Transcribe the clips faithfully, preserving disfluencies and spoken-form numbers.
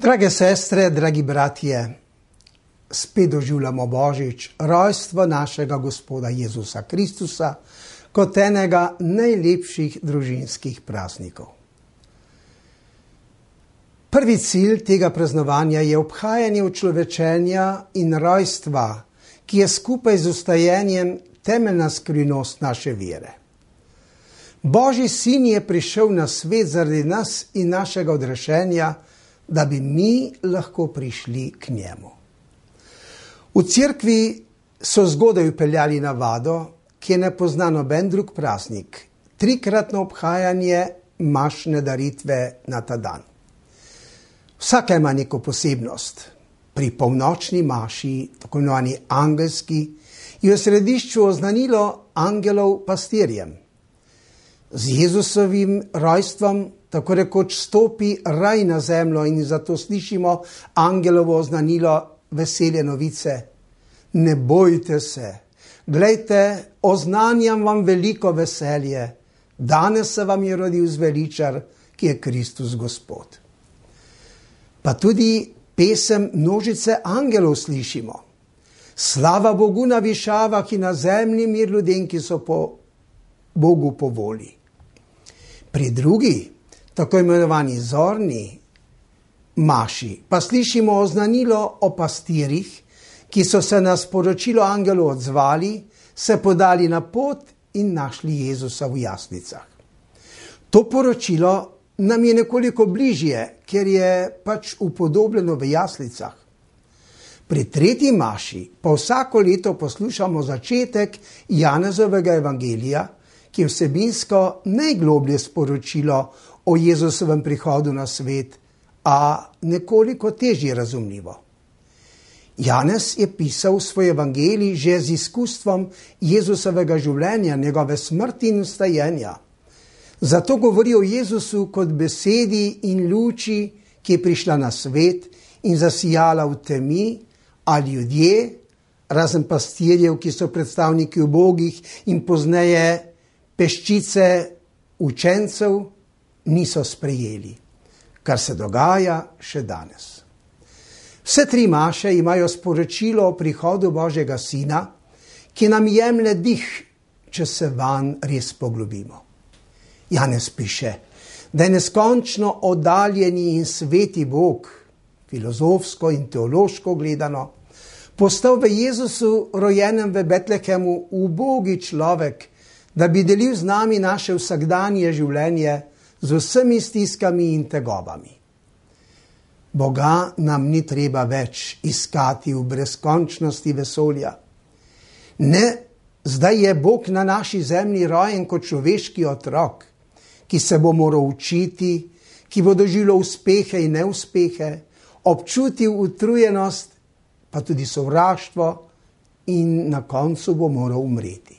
Drage sestre, dragi bratje, spet doživljamo Božič, rojstvo našega Gospoda Jezusa Kristusa, kot enega najlepših družinskih praznikov. Prvi cilj tega praznovanja je obhajanje učlovečenja in rojstva, ki je skupaj z vstajenjem temeljna skrivnost naše vere. Božji sin je prišel na svet zaradi nas in našega odrešenja, da bi mi lahko prišli k njemu. V cerkvi so zgodaj upeljali navado, ki je ne pozna noben drug praznik, trikratno obhajanje mašne daritve na ta dan. Vsaka ima neko posebnost. Pri polnočni maši, tako imenovani angelski, je v središču oznanilo angelov pastirjem. Z Jezusovim rojstvom tako rekoč stopi raj na zemljo in zato slišimo angelovo oznanilo veselje novice. Ne bojte se, glejte, oznanjam vam veliko veselje. Danes se vam je rodil zveličar, ki je Kristus Gospod. Pa tudi pesem množice angelov slišimo. Slava Bogu na višavah in na zemlji mir ljudem, ki so po Bogu po volji. Pri drugi, tako imenovani zorni maši, pa slišimo oznanilo o pastirjih, ki so se na sporočilo angelov odzvali, se podali na pot in našli Jezusa v jaslicah. To poročilo nam je nekoliko bližje, ker je pač upodobljeno v jaslicah. Pri tretji maši pa vsako leto poslušamo začetek Janezovega evangelija, ki je vsebinsko najgloblje sporočilo o Jezusovem prihodu na svet, a nekoliko težje razumljivo. Janez je pisal svoj evangelij že z izkustvom Jezusovega življenja, njegove smrti in vstajenja. Zato govori o Jezusu kot besedi in luči, ki je prišla na svet in zasijala v temi, a ljudje, razen pastirjev, ki so predstavniki ubogih in pozneje peščice učencev, niso sprejeli, kar se dogaja še danes. Vse tri maše imajo sporočilo o prihodu Božjega Sina, ki nam jemlje dih, če se vanj res poglobimo. Janez piše, da je neskončno oddaljeni in sveti Bog, filozofsko in teološko gledano, postal v Jezusu, rojenem v Betlehemu, ubogi človek, da bi delil z nami naše vsakdanje življenje z vsemi stiskami in tegobami. Boga nam ni treba več iskati v brezkončnosti vesolja. Ne, zdaj je Bog na naši zemlji rojen kot človeški otrok, ki se bo moral učiti, ki bo doživljal uspehe in neuspehe, občutil utrujenost, pa tudi sovraštvo in na koncu bo moral umreti.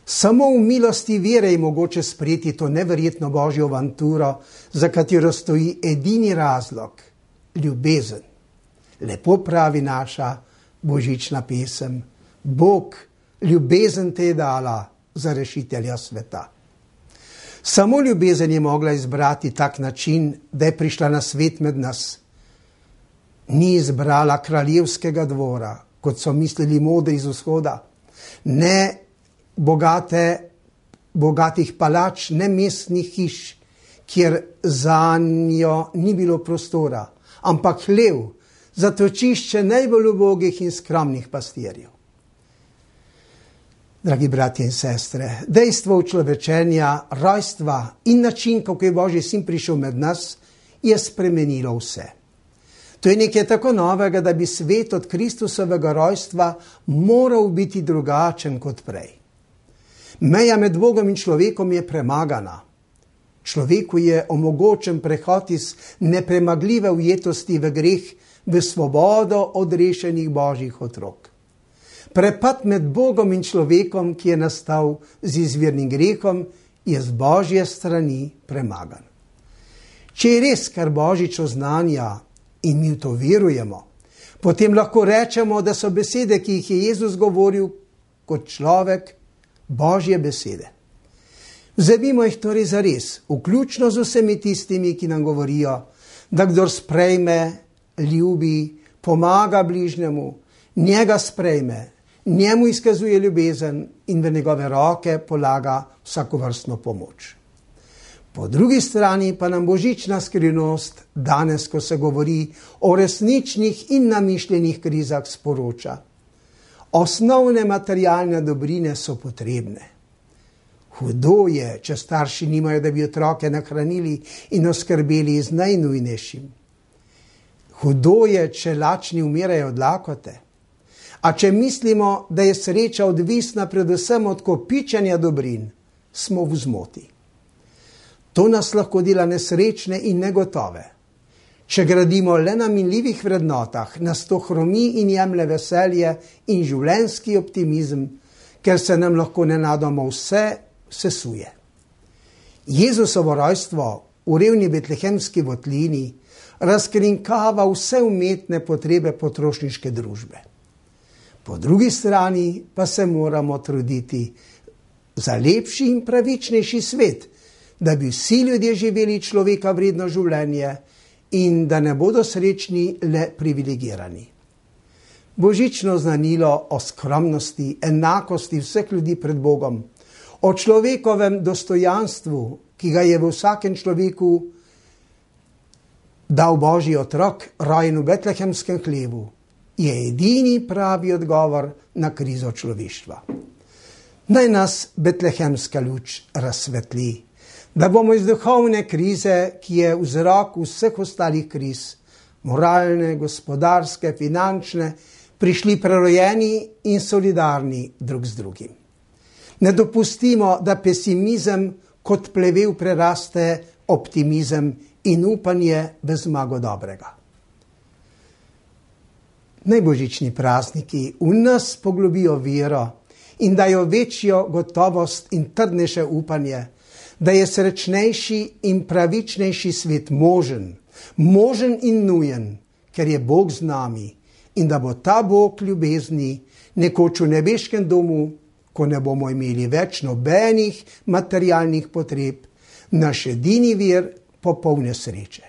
Samo v milosti vere je mogoče sprejeti to neverjetno Božjo avanturo, za katero stoji edini razlog, ljubezen. Lepo pravi naša božična pesem, Bog ljubezen te je dala za rešitelja sveta. Samo ljubezen je mogla izbrati tak način, da je prišla na svet med nas. Ni izbrala kraljevskega dvora, kot so mislili modri iz vzhoda, ne bogate, bogatih palač, ne mestnih hiš, kjer za njo ni bilo prostora, ampak hlev, zatočišče najbolj ubogih in skromnih pastirjev. Dragi bratje in sestre, dejstvo učlovečenja, rojstva in način, kako je Božji sin prišel med nas, je spremenilo vse. To je nekaj tako novega, da bi svet od Kristusovega rojstva moral biti drugačen kot prej. Meja med Bogom in človekom je premagana. Človeku je omogočen prehod iz nepremagljive ujetosti v greh v svobodo odrešenih Božjih otrok. Prepad med Bogom in človekom, ki je nastal z izvirnim grehom, je z Božje strani premagan. Če je res, kar Božič oznanja in mi v to verujemo, potem lahko rečemo, da so besede, ki jih je Jezus govoril kot človek, Božje besede. Vzemimo jih torej zares, vključno z vsemi tistimi, ki nam govorijo, da kdor sprejme, ljubi, pomaga bližnjemu, njega sprejme, njemu izkazuje ljubezen in v njegove roke polaga vsakovrstno pomoč. Po drugi strani pa nam božična skrivnost danes, ko se govori o resničnih in namišljenih krizah, sporoča: osnovne materialne dobrine so potrebne. Hudo je, če starši nimajo, da bi otroke nahranili in oskrbeli z najnujnejšim. Hudo je, če lačni umirajo od lakote. A če mislimo, da je sreča odvisna predvsem od kopičenja dobrin, smo v zmoti. To nas lahko dela nesrečne in negotove. Če gradimo le na minljivih vrednotah, nas to hromi in jemlje veselje in življenjski optimizem, ker se nam lahko nenadoma vse sesuje. Jezusovo rojstvo v revni betlehemski votlini razkrinkava vse umetne potrebe potrošniške družbe. Po drugi strani pa se moramo truditi za lepši in pravičnejši svet, da bi vsi ljudje živeli človeka vredno življenje in da ne bodo srečni le privilegirani. Božično znanilo o skromnosti, enakosti vseh ljudi pred Bogom, o človekovem dostojanstvu, ki ga je v vsakem človeku dal Božji otrok, rojen v betlehemskem hlevu, je edini pravi odgovor na krizo človeštva. Naj nas betlehemska luč razsvetli, da bomo iz duhovne krize, ki je vzrok vseh ostalih kriz, moralne, gospodarske, finančne, prišli prerojeni in solidarni drug z drugim. Ne dopustimo, da pesimizem kot plevel preraste optimizem in upanje v zmago dobrega. Naj božični prazniki v nas poglobijo vero in dajo večjo gotovost in trdnejše upanje, da je srečnejši in pravičnejši svet možen, možen in nujen, ker je Bog z nami in da bo ta Bog ljubezni nekoč v nebeškem domu, ko ne bomo imeli več nobenih materialnih potreb, naš edini vir popolne sreče.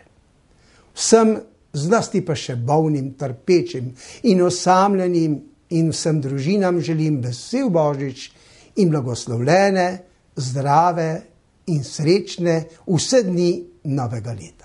Vsem, zlasti pa še bolnim, trpečim in osamljenim in vsem družinam želim vesel Božič in blagoslovljene, zdrave in srečne vse dni novega leta.